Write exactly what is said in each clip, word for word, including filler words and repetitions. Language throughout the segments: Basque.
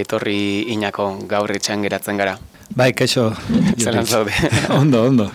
etorri Inako, gaur etxean geratzen gara. Bai, kaixo. Zelan zaude. Ondo, ondo.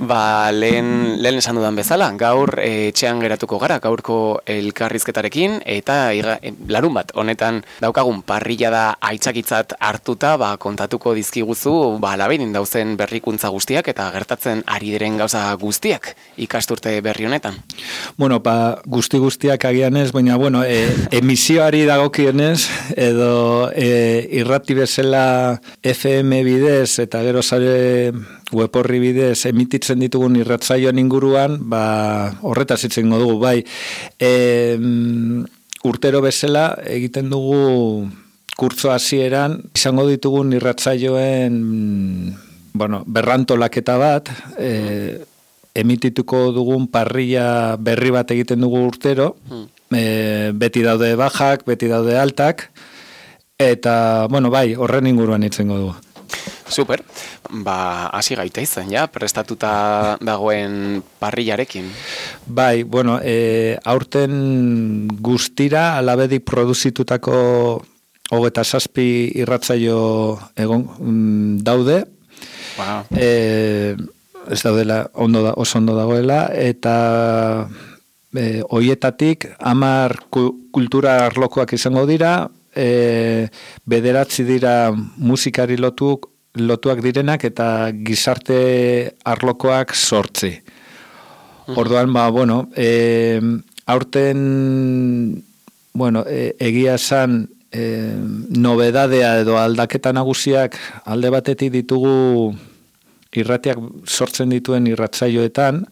Ba, lehen, lehen esan dudan bezala, gaur eh, etxean geratuko gara, gaurko elkarrizketarekin, eta iga, eh, larun bat, honetan daukagun parrilla da aitzakitzat hartuta, ba, kontatuko dizkiguzu, ba, laberin dauzen berrikuntza guztiak, eta gertatzen ari diren gauza guztiak ikasturte berri honetan. Bueno, ba, guzti guztiak agian ez, baina, bueno, e, emisioari dagokionez, edo e, irrati bezala F M bidez, eta gero sare web horri bidez emititzen ditugun irratsaioan inguruan, ba, horretaz hitz egingo dugu, bai. E, urtero bezala egiten dugu kurtso hasieran izango ditugun irratsaioen bueno, berrantolaketa bat, e, emitituko dugun parrilla berri bat egiten dugu urtero, e, beti daude bajak, beti daude altak, eta, bueno, bai, horren inguruan hitzengo dugu. Super, ba, hasi gaita izan, ja, prestatuta dagoen parrillarekin. Bai, bueno, e, aurten guztira alabedik produzitutako hogeta zazpi irratzaio egon mm, daude. Wow. E, ez daudela, ondo da, oso ondo dagoela, eta e, hoietatik hamar kultura arlokoak izango dira, e, bederatzi dira musikari lotuk, lotuak direnak eta gizarte arlokoak sortzi. Orduan, ba, bueno, e, aurten, bueno, e, egia esan, e, nobedadea edo aldaketa nagusiak alde batetik ditugu irratiak sortzen dituen irratzaioetan,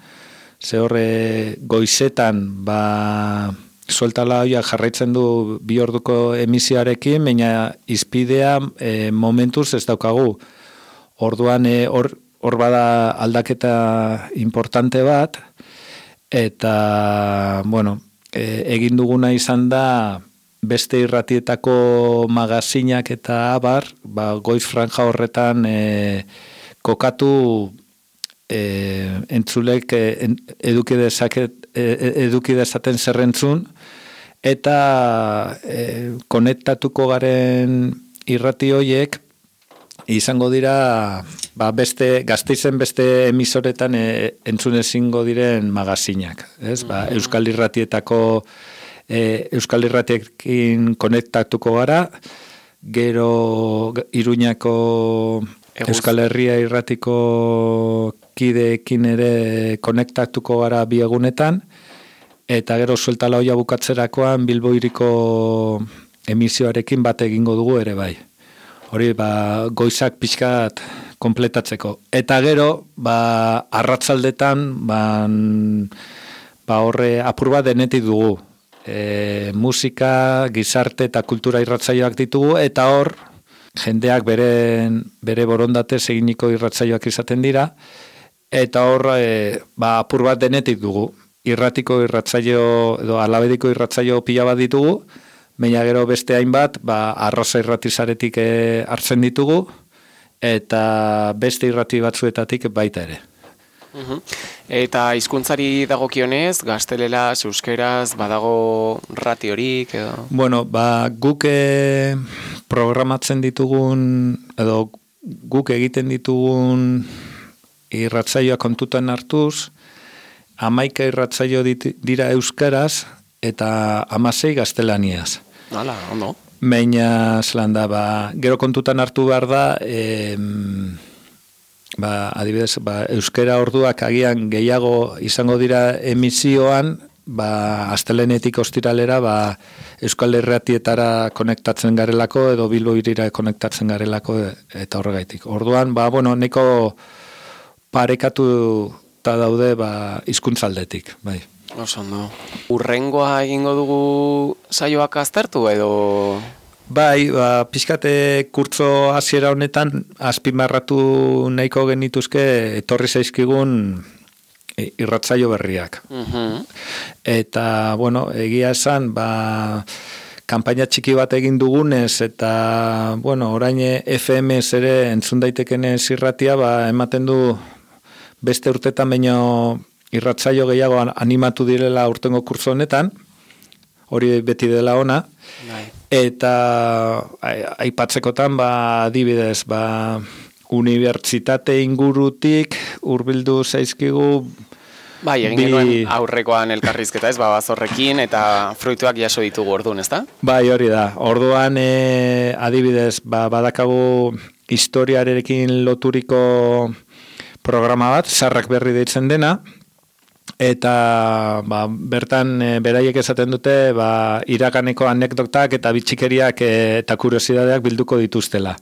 ze horre goizetan, ba, sueltala hoia jarraitzen du bi orduko emisioarekin, baina izpidea e, momentuz ez daukagu. Orduan hor e, hor bada aldaketa importante bat, eta, bueno, e, egin duguna izan da beste irratietako magazinak eta abar, ba, goiz franja horretan e, kokatu e, entzulek e, eduki dezaket, eduki dezaten zerrentzun, eta e, konektatuko garen irrati hoiek izango dira ba, beste, Gasteizen beste emisoretan e, entzun ezingo diren magazinak. Ez? Ba, Euskal Irratietako e, Euskal Irratiekin konektatuko gara, gero Iruñako Eguz. Euskal Herria Irratiko kideekin ere konektatuko gara bi egunetan, eta gero sueltala hoia bukatzerakoan Bilbo Hiriko emisioarekin bat egingo dugu ere bai. Hori, ba, goizak pixkat konpletatzeko. Eta gero, ba, arratzaldetan, ba, ba horre apur bat denetik dugu. E, musika, gizarte eta kultura irratzaioak ditugu, eta hor, jendeak bere, bere borondatez eginiko irratzaioak izaten dira, eta hor, e, ba, apur bat denetik dugu. Irratiko irratzaio, edo alabediko irratzaio pila bat ditugu, baina gero beste hainbat, ba, arroza irratizaretik e, hartzen ditugu, eta beste irrati batzuetatik baita ere. Uhum. Eta hizkuntzari dagokionez, gazteleraz, euskeraz, badago ratiorik edo? Bueno, ba, guk e, programatzen ditugun, edo guk egiten ditugun irratzaioa kontutan hartuz, hamaika irratzaio dit, dira euskaraz, eta hamasei gaztelaniaz. Hala, ondo. Baina, zelan da, ba, gero kontutan hartu behar da, e, ba, adibidez, ba, euskera orduak agian gehiago izango dira emisioan, ba, astelenetik ostiralera, ba, Euskal Irratietara konektatzen garelako, edo Bilbo Hirira konektatzen garelako, eta horregaitik. Orduan, ba, bueno, neko parekatu eta daude, ba, hizkuntzaldetik, bai. Oso ondo. Urrengoa egingo dugu saioak aztertu edo? Bai, ba, pixkate kurtzo hasiera honetan azpimarratu nahiko genituzke etorri zaizkigun irratzaio berriak. Uh-huh. Eta, bueno, egia esan, ba, kanpaina txiki bat egin dugunez, eta, bueno, orain F M ere entzun daitekenez irratia, ba, ematen du beste urtetan baino irratzaio gehiago animatu direla urtengo kurso honetan. hori beti dela ona. Bai. Eta aipatzekotan, ba, adibidez, ba, unibertsitate ingurutik hurbildu zaizkigu. Bai, egin bi... genuen aurrekoan elkarrizketa ez, ba, bazorrekin eta fruituak jaso ditugu orduan, ezta? Bai, hori da. Orduan, e, adibidez, ba, badakagu historiarekin loturiko programa bat, Sarrak berri deitzen dena, eta ba, bertan e, beraiek esaten dute ba, iraganeko anekdotak eta bitxikeriak e, eta kuriosidadeak bilduko dituztela.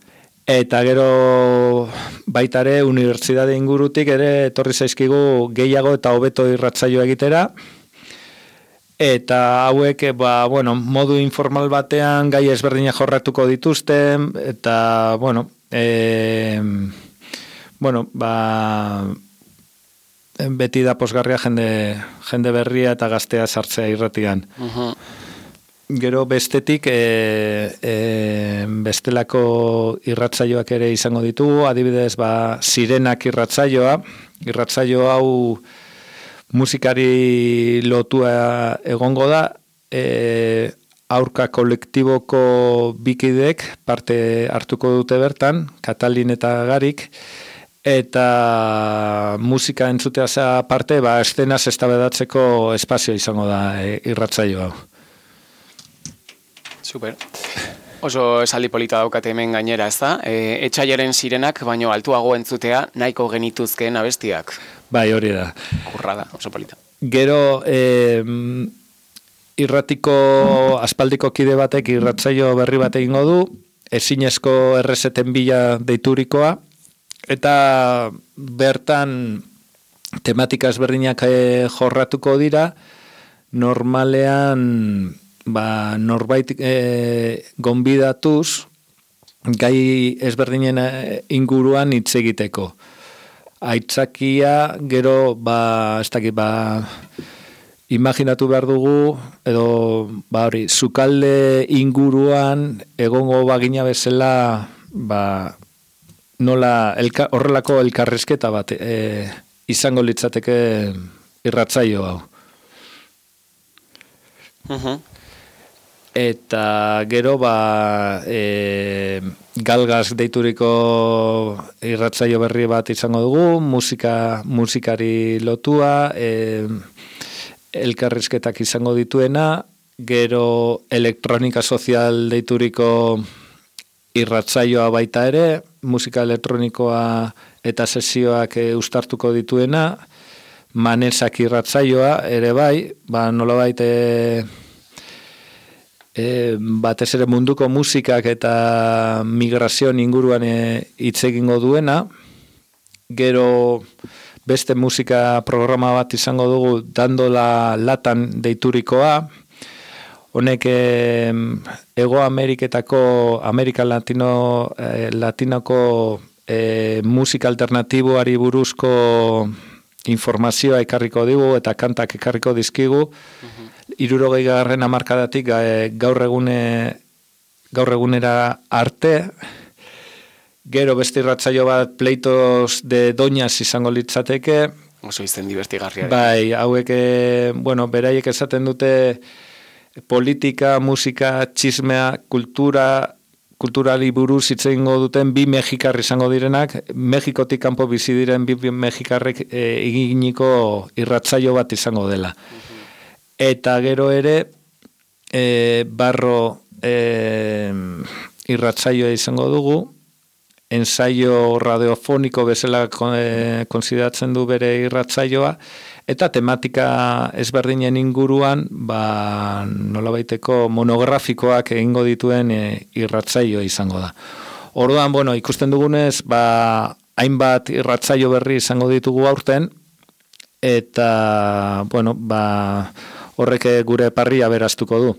Eta gero baitare unibertsitate ingurutik ere etorri zaizkigu gehiago eta hobeto irratsaio egitera. Eta hauek ba, bueno, modu informal batean gai ezberdinak jorratuko dituzte eta bueno, e, bueno, ba, beti da posgarria jende, jende berria eta gaztea sartzea irratian. Uh-huh. Gero bestetik e, e, bestelako irratsaioak ere izango ditugu, adibidez ba, Sirenak irratsaioa, irratsaio hau musikari lotua egongo da, e, aurka kolektiboko bikidek parte hartuko dute bertan, Katalin eta Garik, eta musika entzuteaz aparte, ba, estenaz eztabaidatzeko espazio izango da e, irratsaio hau. Super. Oso esaldi polita daukate hemen gainera, ez da? E, etxaiaren Sirenak, baino altuago entzutea nahiko genituzkeen abestiak. Bai, hori da. Kurra da, oso polita. Gero, e, irratiko aspaldiko kide batek irratsaio berri bat egingo du, ezinezko errezeten bila deiturikoa, eta bertan tematika ezberdinak jorratuko dira, normalean ba, norbait e, gonbidatuz gai ezberdinen inguruan hitz egiteko. Aitzakia gero ba, ez dakit, ba, imaginatu behar dugu, edo ba, hori, sukalde inguruan egongo bagina bezala ba, nola elka, horrelako elkarrizketa bat e, izango litzateke irratsaio hau. Uh-huh. Eta gero ba e, galgaz deituriko irratsaio berri bat izango dugu, musika musikari lotua, e, elkarrizketak izango dituena, gero elektronika sozial deituriko irratsaioa baita ere, musika elektronikoa eta sesioak e, uztartuko dituena, Manesak irratsaioa ere bai, ba nolabait e, E, batez ere munduko musikak eta migrazio inguruan hitz egingo duena. Gero beste musika programa bat izango dugu, Dandola Latan deiturikoa. Honek e, Ego Ameriketako, Amerika Latino, e, Latinoko e, musika alternatiboari buruzko informazioa ekarriko digu eta kantak ekarriko dizkigu. Uh-huh. Hirurogei garren hamarkadatik gaur egune gaur egunera arte. Gero beste irratsaio bat Pleitos de Doñas izango litzateke. Oso izen divertigarria. Bai, hauek bueno, beraiek esaten dute politika, musika, txismea, kultura, kulturali buruz hitz egingo duten bi mexikar izango direnak, Mexikotik kanpo bizi diren bi mexikarrek e, eginiko irratsaio bat izango dela. Uh-huh. Eta gero ere e, barro e, irratsaioa izango dugu, ensaio radiofoniko bezala e, konsideratzen du bere irratsaioa, eta tematika ezberdinen inguruan ba, nolabaiteko monografikoak egingo dituen e, irratsaioa izango da. Orduan, bueno, ikusten dugunez, ba, hainbat irratsaio berri izango ditugu aurten, eta, bueno, ba, horrek gure parria beraztuko du.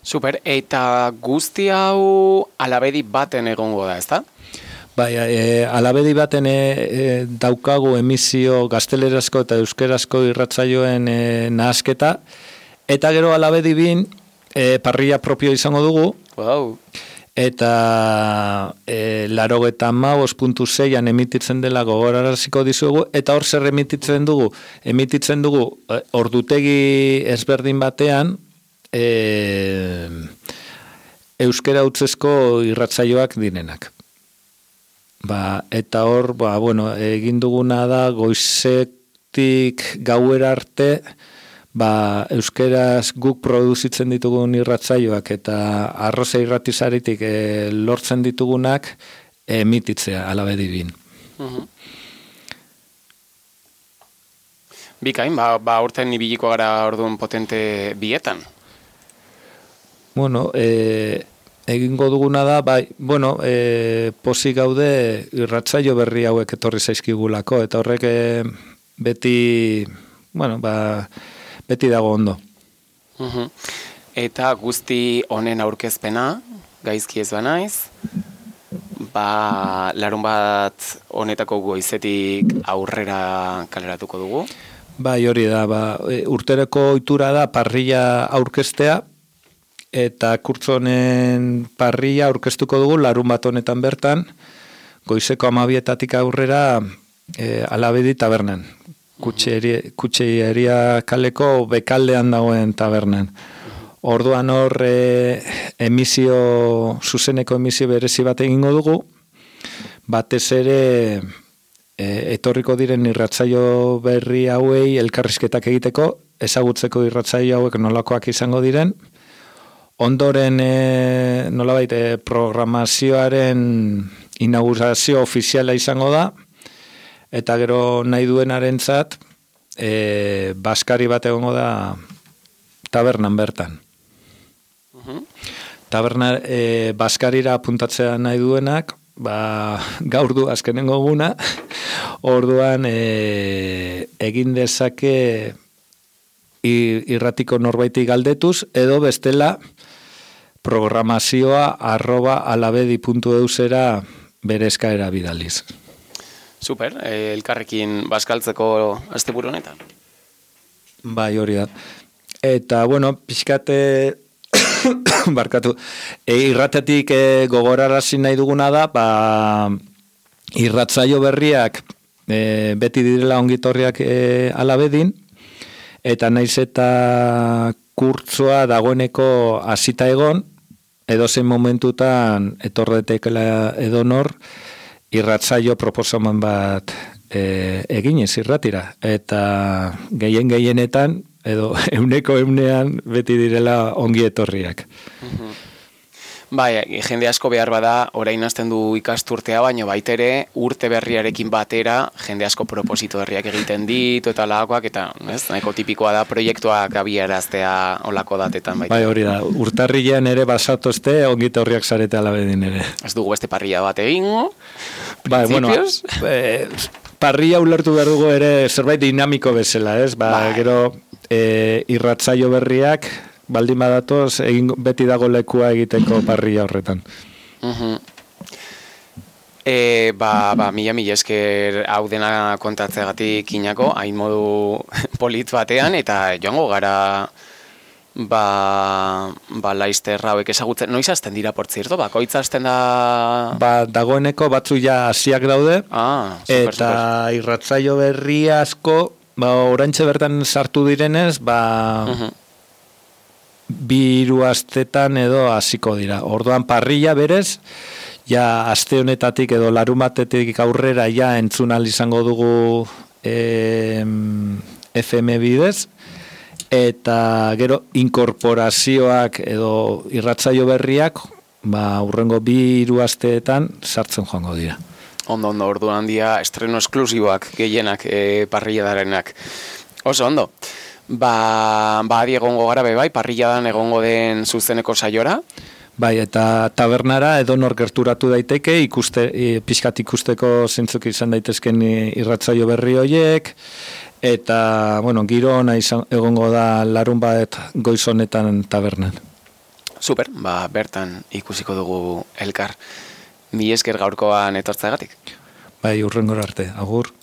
Super, eta guzti hau alabedi baten egongo da, ezta? Bai, e, alabedi baten e, e, daukagu emisio gaztelerazko eta euskerazko irratsaioen e, nahasketa, eta gero alabedi bin e, parria propio izango dugu, wow. Eta e, larogeta maus puntu seian emititzen dela gogoraraziko dizugu, eta hor zer emititzen dugu? Emititzen dugu e, ordutegi ezberdin batean, e, euskera hutsezko irratsaioak direnak. Ba, eta hor, ba, bueno, egin duguna da goizetik gauera arte, ba, euskeraz guk produzitzen ditugun irratsaioak eta arroza irratizaritik e, lortzen ditugunak emititzea alabedibin. Uh-huh. Bikain, ba, ba urten ibiliko gara orduan potente bietan? Bueno, e, egingo duguna da, bai, bueno, e, pozik gaude irratsaio berri hauek etorri zaizkigulako, eta horrek e, beti, bueno, ba, beti dago ondo. Uh-huh. Eta guzti honen aurkezpena, gaizki ez banaiz, ba, larun bat honetako goizetik aurrera kaleratuko dugu? Bai, hori da, ba, urtereko ohitura da parrilla aurkeztea, eta kurtzonen parrilla aurkeztuko dugu larun bat honetan bertan, goizeko hamabietatik aurrera e, Alabedi tabernan, Kutxeria kaleko bekaldean dagoen tabernan. Orduan hor e, emisio, zuzeneko emisio berezi bat egingo dugu, batez ere e, etorriko diren irratsaio berri hauei elkarrizketak egiteko, ezagutzeko irratsaio hauek nolakoak izango diren, ondoren e, nolabait e, programazioaren inaugurazio ofiziala izango da, eta gero nahi duenarentzat e, baskari bat egongo da tabernan bertan. Uh-huh. Taberna e, baskarira apuntatzea nahi duenak, ba, gaur du azkenengo guna, orduan e, egin dezake irratiko norbaiti galdetuz, edo bestela programazioa arroba alabedi puntu eusera bere eskaera bidaliz. Super, eh, elkarrekin bazkaltzeko asteburu honetan. Bai, hori da. Eta, bueno, pixkate barkatu, e, irratetik e, gogorarazi nahi duguna da, ba, irratzaio berriak e, beti direla ongitorriak e, alabedin, eta naiz eta kurtzoa dagoeneko hasita egon, edozein momentutan etorretekela edonor irratzaio proposamen bat e, eginez irratira. Eta gehien gehienetan, edo euneko eunean beti direla ongi etorriak. Uh-huh. Bai, jende asko behar bada, orain hasten du ikasturtea, baina baitere urte berriarekin batera, jende asko proposito berriak egiten ditu eta lakoak, eta ez, nahiko tipikoa da proiektuak abiaraztea olako datetan. Baita. Bai, hori da, urtarrilean ere basatozte, ongi etorriak zarete alabedin ere. Ez dugu beste parrilla bat egingo, bai, bueno, e, parrilla ulertu behar dugu ere zerbait dinamiko bezala, ez? Ba, bai. Gero e, irratzaio berriak, baldin badatoz, egin beti dago lekua egiteko parrilla horretan. Uh-huh. E, ba, ba, mila mila esker hau dena kontatzegatik inako, hain modu polit batean, eta joango gara ba, ba laizter hauek ezagutzen. Noiz hasten dira, portzirto? Bakoitz hasten da... Ba, dagoeneko batzu ja hasiak daude, ah, super, eta super. irratzaio berri asko, ba, oraintxe bertan sartu direnez, ba... Uh-huh. bi hiru astetan edo hasiko dira. Orduan parrilla berez, ja aste honetatik edo larumatetik aurrera ja entzun ahal izango dugu e, F M bidez, eta gero inkorporazioak edo irratzaio berriak, ba urrengo bi hiru asteetan sartzen joango dira. Ondo, ondo, orduan handia estreno esklusiboak gehienak e, parrilla darenak. Oso, ondo. Ba, ba adi egongo gara be bai, parrilladan egongo den zuzeneko saiora. Bai, eta tabernara edonor gerturatu daiteke, ikuste, pixkat ikusteko zentzuk izan daitezken irratzaio berri horiek, eta, bueno, giro ona izan, egongo da larun bat goiz honetan tabernan. Super, ba, bertan ikusiko dugu elkar. Mi esker gaurkoan etortzeagatik. Bai, urrengora arte, agur.